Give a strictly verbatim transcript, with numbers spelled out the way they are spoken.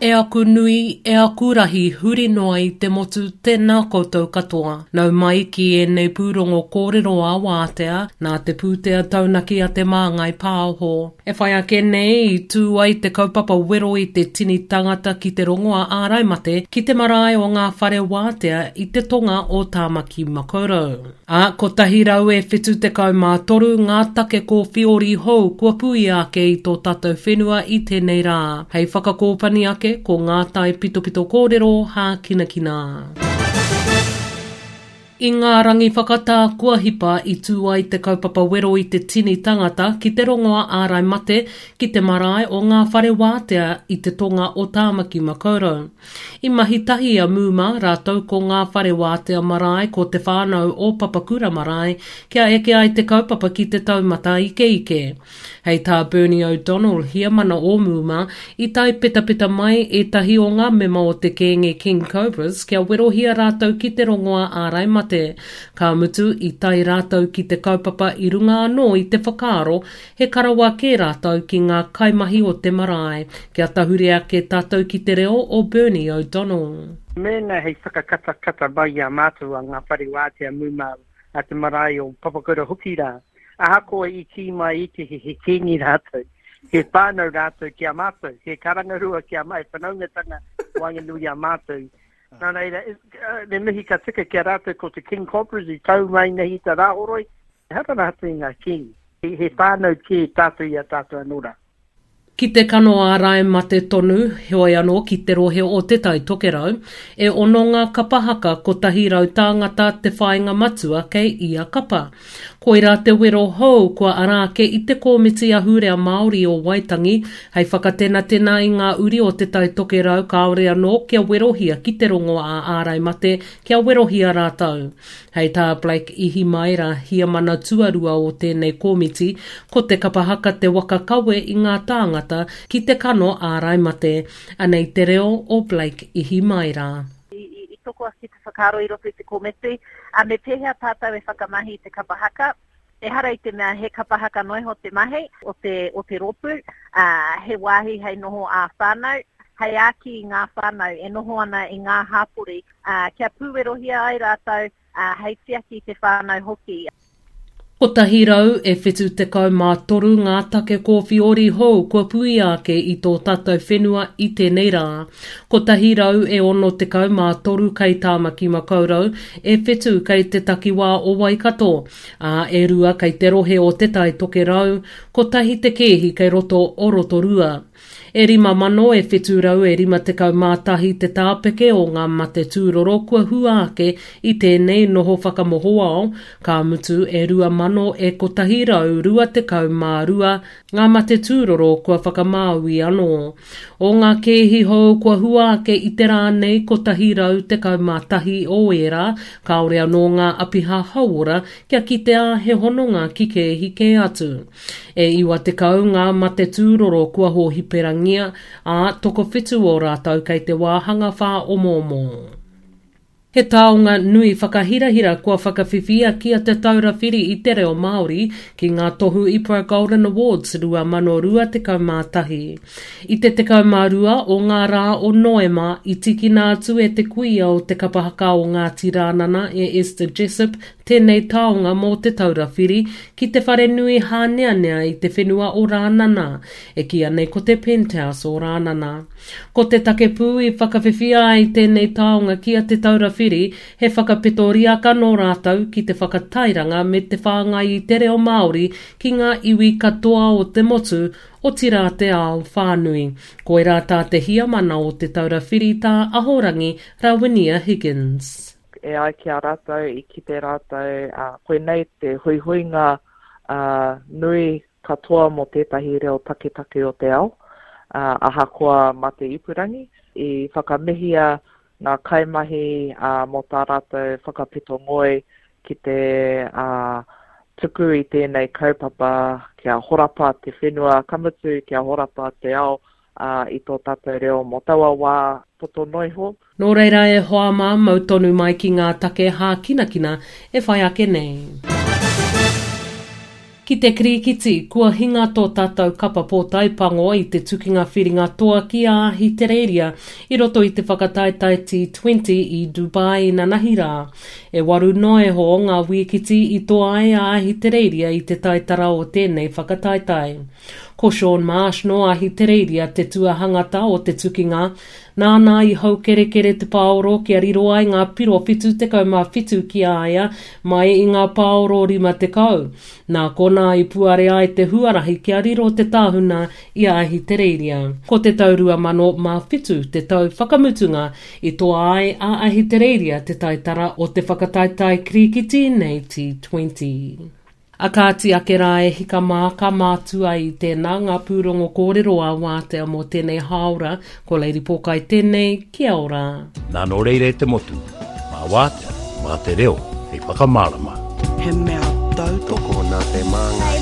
E aku nui, e aku rahi huri noa i te motu, tēnā koutou katoa. Nau mai ki ēnei pūrongo kōrero a wātea, nā te pūtea taunaki a Te Māngai Pāho. E whai ake nei i tū ai te kaupapa wero i te tini tangata ki te rongoa ārai mate ki te marae o ngā whare wātea i te tonga o Tāmaki Makaurau. Ā, kotahi rau e whitu tekau mā toru ngā take kōwhiori hou kua puia ake i tō tātou whenua i tēnei rā. Hei whakakōpani ake ko ngā tai pitopito kōrero hākinakina. I ngā rangi whakatā kua hipa i tū ai te kaupapa wero i te tini tangata ki te rongoa ārai mate ki te marae o ngā whare wātea i te tonga o Tāmaki Makaurau. I mahi tahi a Mūma rātou ko ngā whare wātea marae ko te whānau o Papakura marae kia eke ai te kaupapa ki te taumata ikeike. Hei tā Bernie O'Donnell, heamana o Mūma, i tae petapeta mai ētahi o ngā mema o te kēnge King Cobras kia werohia rātou ki te rongoa ārai mate. Ka mutu, i tae rātou ki te kaupapa i runga anō i te whakaaro he karawa kē rātou ki ngā kaimahi o te marae. Kia tahuri ake tātou ki te reo o Bernie O'Donnell. Mēnā hei whakakatakata mai i a mātou a ngā whare wātea Mūma a te marae o Papakura hoki rā. Ahakoa i kī mai i te he, he kīngi rātou, he whānau rātou ki a mātou, he karangarua ki a mātou, he whanaungatanga waenganui i a mātou. Nā reira, me mihi ka tika ki a rātou ko te King Cobras i tau mai nei i te Rāhoroi, ehara rātou i ngā kīngi. He, he whānau kē tātou i a tātou anō rā. Ki te kano ārai mate tonu, heoi anō ki te rohe o Te Tai Tokerau, e ono ngā kapa haka kotahi rau tāngata te whāinga matua kei ia kapa. Koirā te wero hou kua ara ake i te Kōmiti Ahurea Māori o Waitangi hei whakatenatena i ngā uri o Te Tai Tokerau kāore anō kia werohia ki te rongoā ārai mate kia werohia rātou. Hei tā Blake Ihimaera, heamana tuarua o tēnei kōmiti, ko te kapa haka te waka kawe i ngā tāngata ki te kano ārai mate. Anei te reo o Blake Ihimaera. I, i, i toko ake te whakaaro i roto i te kōmiti, a me pēhea tātou e whakamahi i te kapa haka. Ehara i te mea he kapa haka noa iho te mahi o te, o te rōpū, ā, he wāhi hei noho ā-whānau, hei āki i ngā whānau e noho ana i ngā hāpori, ā, kia pūwerohia ai rātou, ā, hei tiaki i te whānau hoki. Kotahi rau e whitu tekau mā toru ngā take kōwhiori hou kua puia ake i tō tātou whenua i tēnei rā. Kotahi rau e ono tekau mā toru kei Tāmaki Makaurau, e whitu kei te takiwā o Waikato, ā, e rua kei te rohe o Te Tai Tokerau, kotahi te kēhi kei roto o Rotorua. E rima mano e whitu rau e rima tekau mā tahi te tāpeke o ngā mate tūroro kua hua ake i tēnei noho whakamohoao, ka mutu e rua mano e kotahi rau rua tekau mā rua ngā mate tūroro kua whakamāui anō. O ngā kēhi hou kua hua ake i te rā nei kotahi rau tekau mā tahi o ērā, kāore anō ngā apiha hauora kia kitea he hononga ki kēhi kē atu. E iwa tekau ngā mate tūroro kua hōhiperangia, ā, tokowhitu o rātou kei te wāhanga whāomoomo. He taonga nui whakahirahira kua whakawhiwhia ki a Te Taura Whiri i te Reo Māori ki ngā tohu IPRA Golden Awards rua mano rua tekau mā tahi. I te tekau mā rua o ngā rā o Noema i tīkina atu e te kuia o te kapa haka o Ngāti Rānana e Esther Jessop tēnei taonga mō Te Taura Whiri ki te wharenui hāneanea i te whenua o Rānana, e kīia nei ko te Penthouse o Rānana. Ko te take pū i whakawhiwhia ai tēnei taonga ki a Te Taura Whiri, he whakapeto riaka nō rātou ki te whakatairanga me te whāngai i te reo Māori ki ngā iwi katoa o te motu, otirā te ao whānui. Koirā tā te heamana o Te Taura Whiri tā Ahorangi Rawinia Higgins. E ai ki a rātou, i kite rātou, koinei te huihuinga nui katoa mō tētahi reo taketake o te ao, ahakoa mā te ipurangi. I whakamihia ngā kaimahi mō tā rātou whakapeto ngoi ki te tuku i tēnei kaupapa kia horapa te whenua, ka mutu kia horapa te ao i tō tātou reo mō taua wā poto noa iho. Nō reira e hoa mā, mau tonu mai ki ngā take hākinakina e whai ake nei. Ki te kirikiti, kua hinga tō tātou kapa pōtae pango i te tukinga whiringa toa ki a Ahitereiria i roto i te whakataetae T twenty i Dubai inanahi rā. E waru noa iho ngā wīkiti i toa ai a Ahitereiria i te taitara o tēnei whakataetae. Ko Shaun Marsh nō Ahitereiria te tuahangata o te tukinga, nāna i haukerekere te pāoro kia riro ai ngā piro whitu tekau mā whitu ki a ia mai i ngā pāoro rima tekau. Nā konā i puare ai te huarahi kia riro te tāhuna i a Ahitereiria. Ko te tau rua mano mā whitu te tau whakamutunga i toa ai a Ahitereiria te taitara o te whakataetae kirikiti nei T twenty. A kāti ake rā e hika mā ka mātua i tēnā ngā pūrongo kōrero a wātea mō tēnei hāora, ko Lady Pōkai tēnei, kia ora. Nā nō reira e te motu, mā wātea, mā te reo, hei whakamārama. He mea tautoko Tokona te māngai.